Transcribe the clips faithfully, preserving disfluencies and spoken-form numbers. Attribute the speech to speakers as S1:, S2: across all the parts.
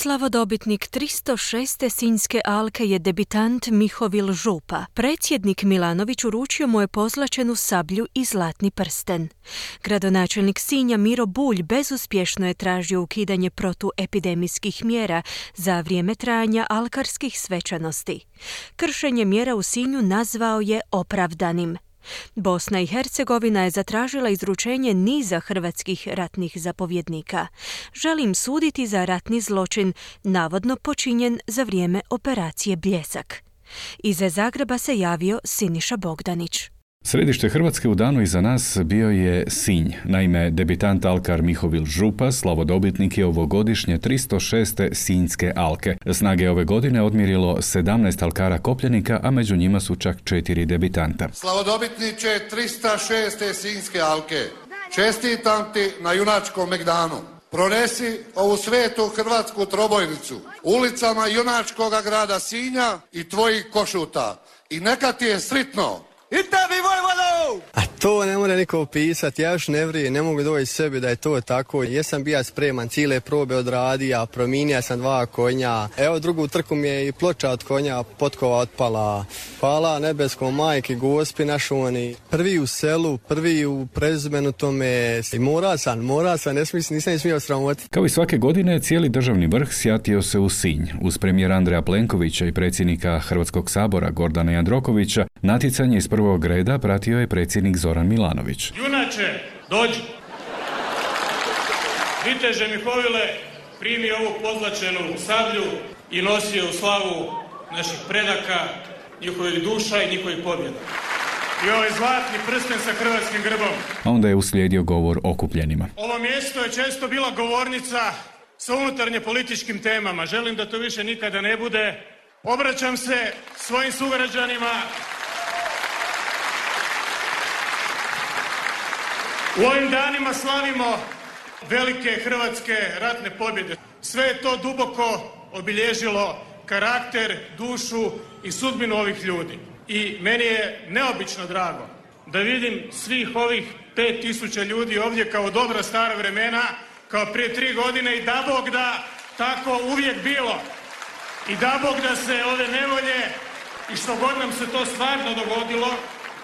S1: Slavodobitnik tristo šeste Sinjske alke je debitant Mihovil Župa. Predsjednik Milanović uručio mu je pozlačenu sablju i zlatni prsten. Gradonačelnik Sinja Miro Bulj bezuspješno je tražio ukidanje protuepidemijskih mjera za vrijeme trajanja alkarskih svečanosti. Kršenje mjera u Sinju nazvao je opravdanim. Bosna i Hercegovina je zatražila izručenje niza hrvatskih ratnih zapovjednika. Želim suditi za ratni zločin, navodno počinjen za vrijeme operacije Bljesak. Iz Zagreba se javio Siniša Bogdanić.
S2: Središte Hrvatske u danu iza nas bio je Sinj. Naime, debitant alkar Mihovil Župa slavodobitnik je ovogodišnje tristo šeste Sinjske alke. Snage ove godine odmjerilo sedamnaest alkara kopljenika, a među njima su čak četiri debitanta.
S3: Slavodobitniče tristo šeste Sinjske alke, čestitam ti na junačkom megdanu. Pronesi ovu svetu hrvatsku trobojnicu ulicama junačkoga grada Sinja i tvojih Košuta. I neka ti je sritno!
S4: I tebi, Vojvodo!
S5: A to ne mora niko opisati, ja još ne vrije, ne mogu doći sebi da je to tako. Jesam bija spreman, cijele probe odradija, prominija sam dva konja. Evo drugu trku mi je i ploča od konja, potkova otpala. Hvala nebeskom majke, gospi našoni. Prvi u selu, prvi u prezimenu tome. I mora sam, mora sam, ne smislim, nisam smio sramoti.
S2: Kao i svake godine, cijeli državni vrh sjatio se u Sinj. Uz premijera Andreja Plenkovića i predsjednika Hrvatskog sabora Gordana Jandrokovića, natjecanje iz prvog reda pratio je predsjednik Zoran Milanović.
S6: Junače, dođi! Viteže Mihovile, primi ovu pozlačenu sablju i nosi je u slavu naših predaka, njihovih duša i njihovih pobjeda. I ovaj zlatni prsten sa hrvatskim grbom.
S2: A onda je uslijedio govor okupljenima.
S6: Ovo mjesto je često bila govornica sa unutarnje političkim temama. Želim da to više nikada ne bude. Obraćam se svojim sugrađanima. U ovim danima slavimo velike hrvatske ratne pobjede. Sve je to duboko obilježilo karakter, dušu i sudbinu ovih ljudi. I meni je neobično drago da vidim svih ovih pet tisuća ljudi ovdje kao dobra stara vremena, kao prije tri godine i da Bog da tako uvijek bilo. I da Bog da se ove nevolje i što god nam se to stvarno dogodilo,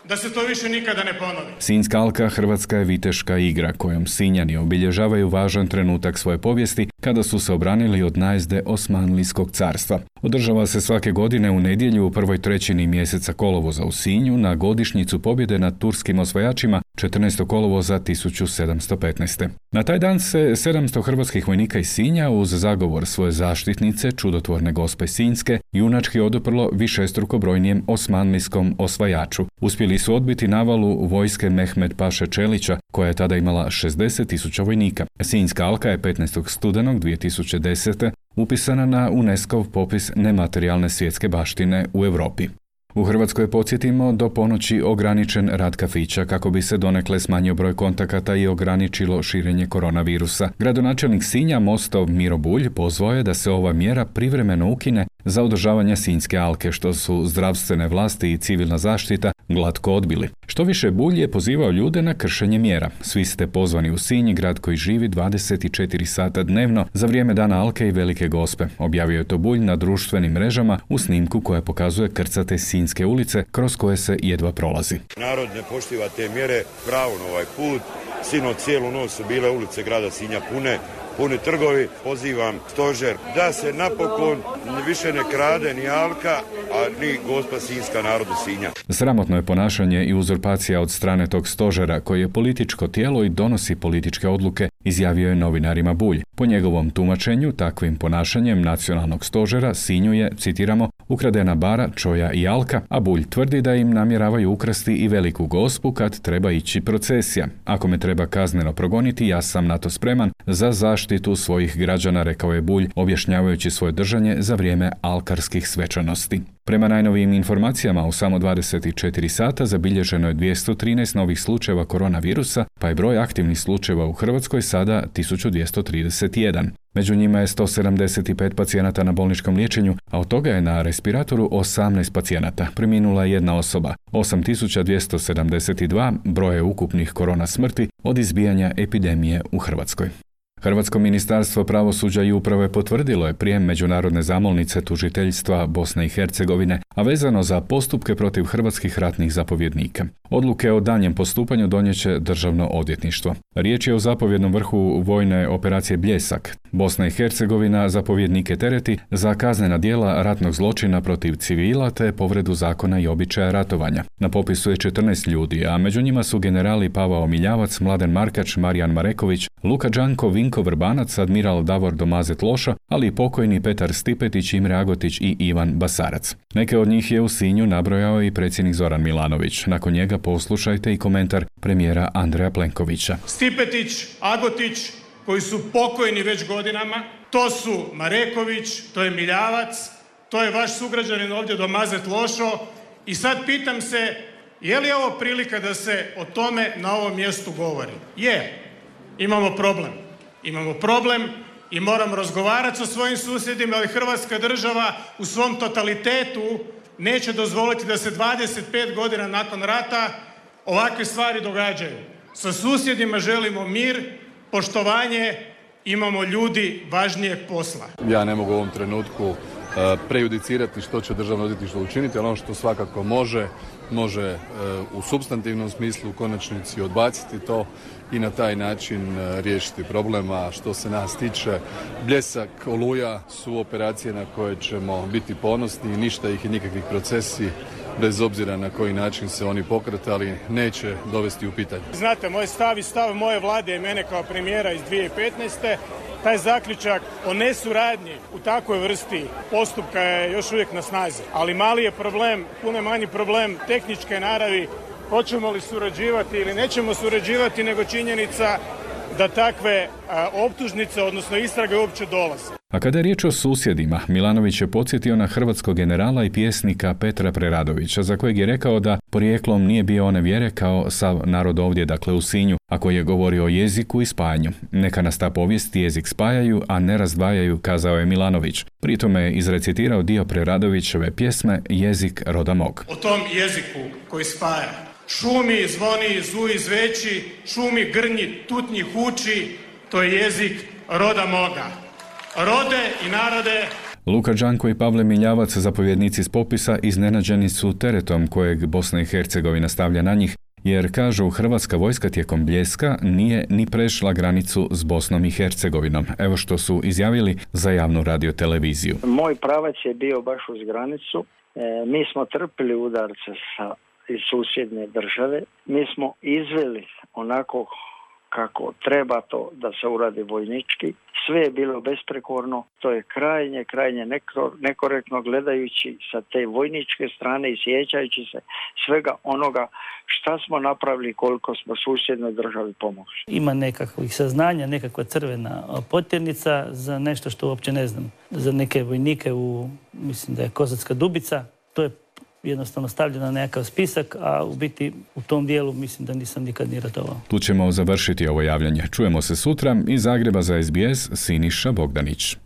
S6: da se to više nikada ne ponovi.
S2: Sinjska alka hrvatska je viteška igra kojom Sinjani obilježavaju važan trenutak svoje povijesti kada su se obranili od najezde Osmanlijskog carstva. Održava se svake godine u nedjelju u prvoj trećini mjeseca kolovoza u Sinju na godišnjicu pobjede nad turskim osvajačima četrnaestog kolovoza tisuću sedamsto petnaeste. Na taj dan se sedamsto hrvatskih vojnika iz Sinja uz zagovor svoje zaštitnice, čudotvorne Gospe Sinjske, junački oduprlo višestruko brojnijem osmanlijskom osvajaču. Uspjeli su odbiti navalu vojske Mehmed Paše Čelića, koja je tada imala šezdeset tisuća vojnika. Sinjska alka je petnaestog studenog dvije tisuće desete. upisana na UNESCO-v popis nematerijalne svjetske baštine u Europi. U Hrvatskoj, podsjetimo, do ponoći ograničen rad kafića kako bi se donekle smanjio broj kontakata i ograničilo širenje koronavirusa. Gradonačelnik Sinja Mostov Miro Bulj pozvao je da se ova mjera privremeno ukine za održavanje Sinjske alke, što su zdravstvene vlasti i civilna zaštita glatko odbili. Što više, Bulj je pozivao ljude na kršenje mjera. Svi ste pozvani u Sinj, grad koji živi dvadeset četiri sata dnevno za vrijeme dana alke i Velike Gospe. Objavio je to Bulj na društvenim mrežama u snimku koja pokazuje krcate Sinjske ulice kroz koje se jedva prolazi.
S7: Narod ne poštiva te mjere, pravo na ovaj put. Sinoć cijelu noć su bile ulice grada Sinja pune, puni trgovi. Pozivam stožer da se napokon više ne krade ni alka, a ni Gospa Sinjska narodu Sinja.
S2: Sramotno je ponašanje i uzurpacija od strane tog stožera koji je političko tijelo i donosi političke odluke, izjavio je novinarima Bulj. Po njegovom tumačenju, takvim ponašanjem nacionalnog stožera Sinju je, citiramo, ukradena bara, čoja i alka, a Bulj tvrdi da im namjeravaju ukrasti i Veliku Gospu kad treba ići procesija. Ako me treba kazneno progoniti, ja sam na to spreman za zaštitu svojih građana, rekao je Bulj, objašnjavajući svoje držanje za vrijeme alkarskih svečanosti. Prema najnovijim informacijama, u samo dvadeset četiri sata zabilježeno je dvjesto trinaest novih slučajeva koronavirusa, pa je broj aktivnih slučajeva u Hrvatskoj sada tisuću dvjesto trideset jedan. Među njima je sto sedamdeset pet pacijenata na bolničkom liječenju, a od toga je na respiratoru osamnaest pacijenata. Preminula je jedna osoba. osam tisuća dvjesto sedamdeset dva broje ukupnih korona smrti od izbijanja epidemije u Hrvatskoj. Hrvatsko ministarstvo pravosuđa i uprave potvrdilo je prijem međunarodne zamolnice tužiteljstva Bosne i Hercegovine, a vezano za postupke protiv hrvatskih ratnih zapovjednika. Odluke o danjem postupanju donijeće Državno odvjetništvo. Riječ je o zapovjednom vrhu vojne operacije Bljesak. Bosna i Hercegovina zapovjednike tereti za kaznena djela ratnog zločina protiv civila te povredu zakona i običaja ratovanja. Na popisu je četrnaest ljudi, a među njima su generali Pavao Miljavac, Mladen Markač, Marijan Mareković, Luka Đanko, Vinko Vrbanac, admiral Davor Domazet Loša, ali i pokojni Petar Stipetić, Imre Agotić i Ivan Basarac. Neke od njih je u Sinju nabrojao i predsjednik Zoran Milanović. Nakon njega poslušajte i komentar premijera Andreja Plenkovića.
S6: Stipetić, Agotić, koji su pokojni već godinama, to su Mareković, to je Miljavac, to je vaš sugrađanin ovdje Domazet Lošo i sad pitam se, je li ovo prilika da se o tome na ovom mjestu govori? Je. Imamo problem. Imamo problem i moramo razgovarati sa svojim susjedima, ali Hrvatska država u svom totalitetu neće dozvoliti da se dvadeset pet godina nakon rata ovakve stvari događaju. Sa susjedima želimo mir, poštovanje, imamo ljudi važnijeg posla.
S8: Ja ne mogu u ovom trenutku prejudicirati što će Državno odvjetništvo učiniti, ali ono što svakako može, može u supstantivnom smislu u konačnici odbaciti to i na taj način riješiti problem. A što se nas tiče, Bljesak, Oluja su operacije na koje ćemo biti ponosni i ništa ih i nikakvih procesi, bez obzira na koji način se oni pokretali, neće dovesti u pitanje.
S6: Znate, moj stav i stav moje vlade i mene kao premijera iz dvije tisuće petnaeste. Taj zaključak o nesuradnji u takvoj vrsti postupka je još uvijek na snazi. Ali mali je problem, puno manji problem tehničke naravi, hoćemo li surađivati ili nećemo surađivati, nego činjenica da takve a, optužnice, odnosno istrage uopće dolaze.
S2: A kada je riječ o susjedima, Milanović je podsjetio na hrvatskog generala i pjesnika Petra Preradovića, za kojeg je rekao da porijeklom nije bio one vjere kao sav narod ovdje, dakle u Sinju, a koji je govorio o jeziku i spajanju. Neka nas ta povijest i jezik spajaju, a ne razdvajaju, kazao je Milanović. Pri tome je izrecitirao dio Preradovićeve pjesme Jezik roda mog.
S6: O tom jeziku koji spaja. Šumi, zvoni, zuji, zveči, šumi, grnji, tutnji, huči, to je jezik roda moga. Rode i narode.
S2: Luka Đanko i Pavle Miljavac, zapovjednici s popisa, iznenađeni su teretom kojeg Bosna i Hercegovina stavlja na njih, jer, kažu, hrvatska vojska tijekom Bljeska nije ni prešla granicu s Bosnom i Hercegovinom. Evo što su izjavili za javnu radioteleviziju.
S9: Moj pravac je bio baš uz granicu. E, mi smo trpili udarce sa, iz susjedne države. Mi smo izveli onako kako treba to da se uradi vojnički. Sve je bilo besprekorno, to je krajnje, krajnje nekorektno gledajući sa te vojničke strane i sjećajući se svega onoga šta smo napravili, koliko smo susjednoj državi pomogli.
S10: Ima nekakvih saznanja, nekakva crvena potjernica za nešto što uopće ne znam. Za neke vojnike u, mislim da je Kozatska Dubica, to je jednostavno stavljeno na nekakav spisak, a u biti u tom dijelu mislim da nisam nikad ni ratovao.
S2: Tu ćemo završiti ovo javljanje. Čujemo se sutra. Iz Zagreba za S B S, Siniša Bogdanić.